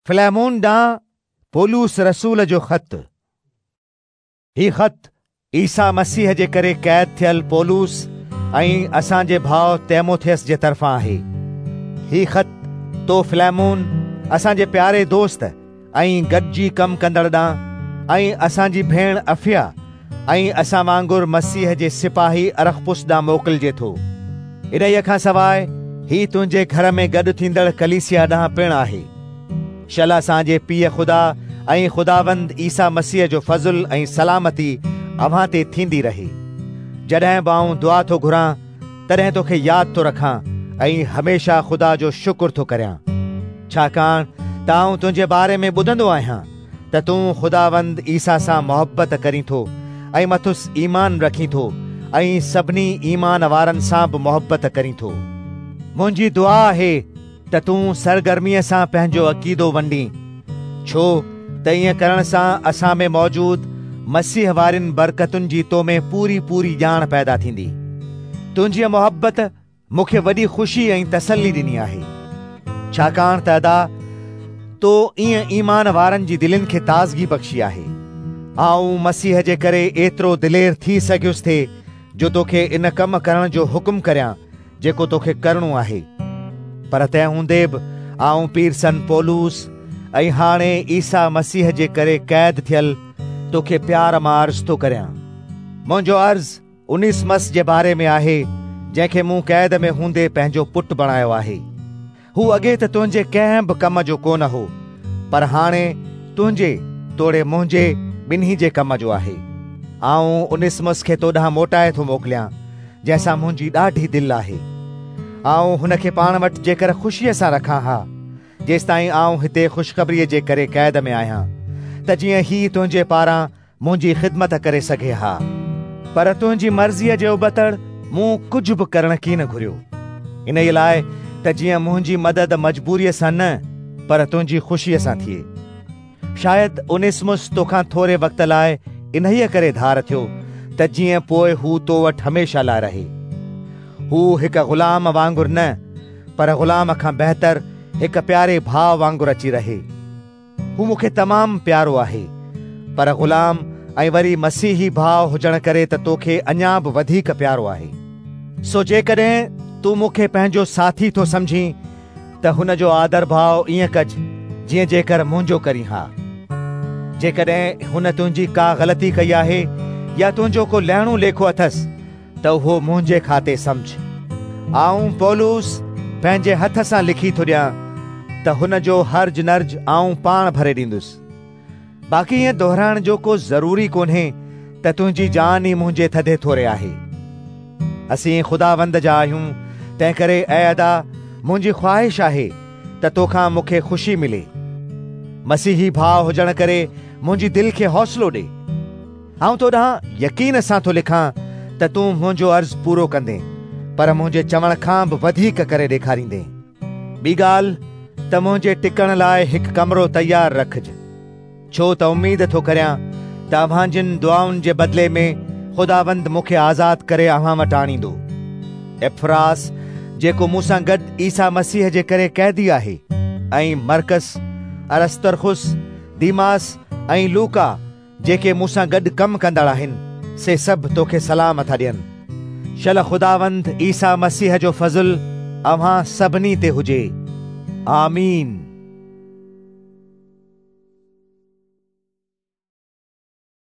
فليمون ڏانهن پولس رسول جو خط. هي خط عيسيٰ مسيح جي ڪري قيد ٿيل پولس ۽ اسان جي ڀاء تيموٿيس جي طرفان آهي. هي خط تو فليمون، اسان جي پياري دوست ۽ گڏجي ڪم ڪندڙ ڏانهن ۽ اسان جي ڀيڻ افيا ۽ اسان وانگر مسيح جي سپاهي ارخپس ڏانهن موڪلجي ٿو. انهيء کان سواء هي تنهنجي گهر ۾ گڏ ٿيندڙ ڪليسيا ڏانهن پڻ آهي. شل اسان جي پيء خدا ۽ خداوند عيسيٰ مسيح جو فضل ۽ سلامتي اوهان تي ٿيندي رهي. جڏهن به آئون دعا ٿو گهران، تڏهن توکي ياد ٿو رکان ۽ هميشه خدا جو شڪر ٿو ڪريان، ڇاڪاڻ ته آئون تنهنجي باري ۾ ٻڌندو آهيان ته تون خداوند عيسيٰ سان محبت ڪرين ٿو ۽ مٿس ايمان رکين ٿو ۽ سڀني ايمان وارن سان به محبت ڪرين ٿو. منهنجي دعا آهي ته تون سرگرميء سان پنهنجو عقيدو ونڊين، ڇو ته ائين ڪرڻ سان اسان ۾ موجود مسيح وارين برڪتن جي تو ۾ پوري پوري ڄاڻ پيدا ٿيندي. تنهنجيء محبت مون کي وڏي خوشي ۽ تسلي ڏني آهي، ڇاڪاڻ ته ادا، تو ائين ايمان وارن جي دلين کي تازگي بخشي آهي. آئون مسيح جي ڪري ايترو دلير ٿي سگهيس ٿي جو توکي ان ڪم ڪرڻ جو حڪم ڪريان جيڪو توکي ڪرڻو آهي. پر تنهن هوندي به آئون پيرسن پولس ۽ هاڻي عيسيٰ مسيح جي ڪري قيد ٿيل توکي پيار مان عرض ٿو ڪريان. منهنجو عرض انيسمس جي باري ۾ آهي، جنهن کي مون قيد ۾ هوندي پنهنجو پٽ بڻايو آهي. هو اڳي ته تنهنجي ڪنهن به ڪم جو ڪونه هو، پر هاڻي تنهنجي توڙي منهنجي ٻنهي جي ڪم جو آهي. آئون انيسمس کي تو ڏانهن موٽائي ٿو موڪليان، جنهن سان منهنجي ڏاڍي دل آهي. آئون هن کي پاڻ وٽ جيڪر خوشيء سان رکان ها، جيستائين آئون هتي خوشخبريء جي ڪري قيد ۾ آهيان، ته جيئن هي تنهنجي پاران منهنجي خدمت ڪري سگهي ها، پر تنهنجي مرضيء جي ابتڙ مون ڪجهه به ڪرڻ ڪين گهريو، انهيء لاء ته جيئن منهنجي مدد مجبوريء سان نه، پر تنهنجي خوشيء سان ٿئي. شايد انيسمس توکان ٿوري وقت لاء انهيء ڪري ڌار ٿيو ته جيئن پوء هو تو وٽ هميشه لاء رهي. هو هڪ غلام وانگر نه، پر غلام کان بهتر هڪ پياري ڀاء وانگر اچي رهي. هو مون کي تمام پيارو آهي، پر غلام ۽ وري مسيحي ڀاء هجڻ ڪري ته توکي اڃا به وڌيڪ پيارو آهي. سو جيڪڏهن تون مون کي پنهنجو ساٿي ٿو سمجهين ته هن جو آدرڀاء ائين ڪج جيئن جيڪر منهنجو ڪرين ها. جيڪڏهن هن تنهنجي ڪا غلطي ڪئي آهي يا تنهنجو ڪو لهڻو ليکو اٿس ته اهو منهنجي کاتي سمجهه. آئون پولس پنهنجي هٿ سان لکي ٿو ڏيان ته هن جو هرج نرج آئون پاڻ ڀري ڏيندس. باقي ائين دهرائڻ جو ڪو ضرور ئي ڪونهي ته تنهنجي جان ئي منهنجي ٿڌي ٿوري آهي. اسين خداوند جا آهيون، تنهنڪري اي ادا، منهنجي خواهش آهي ته توکان مون کي خوشي ملي. مسيحي ڀاء هجڻ ڪري منهنجي دل کي حوصلو ڏي. آئون تو ڏانهن يقين سان ٿو لکان ته تون منهنجو عرض پورو ڪندين، پر منهنجي چوڻ کان به وڌيڪ ڪري ڏيکاريندين. ٻي ڳالهه ته منهنجي ٽڪڻ لاء هڪ ڪمرو تيار رکج، ڇو ته اميد ٿو ڪريان ته اوهان جن دعائن جي بدلي ۾ خداوند مون کي آزاد ڪري اوهان وٽ آڻيندو. ايپفراس، جيڪو مون سان گڏ عيسيٰ مسيح جي ڪري قيدي آهي، ۽ مرقس، ارسترخس، ديماس ۽ لوقا، جيڪي مون سان گڏ ڪم ڪندڙ آهن، سي سڀ توکي سلام ٿا ڏين. شل خداوند عيسيٰ مسيح جو فضل اوهان سڀني تي هجي. آمين.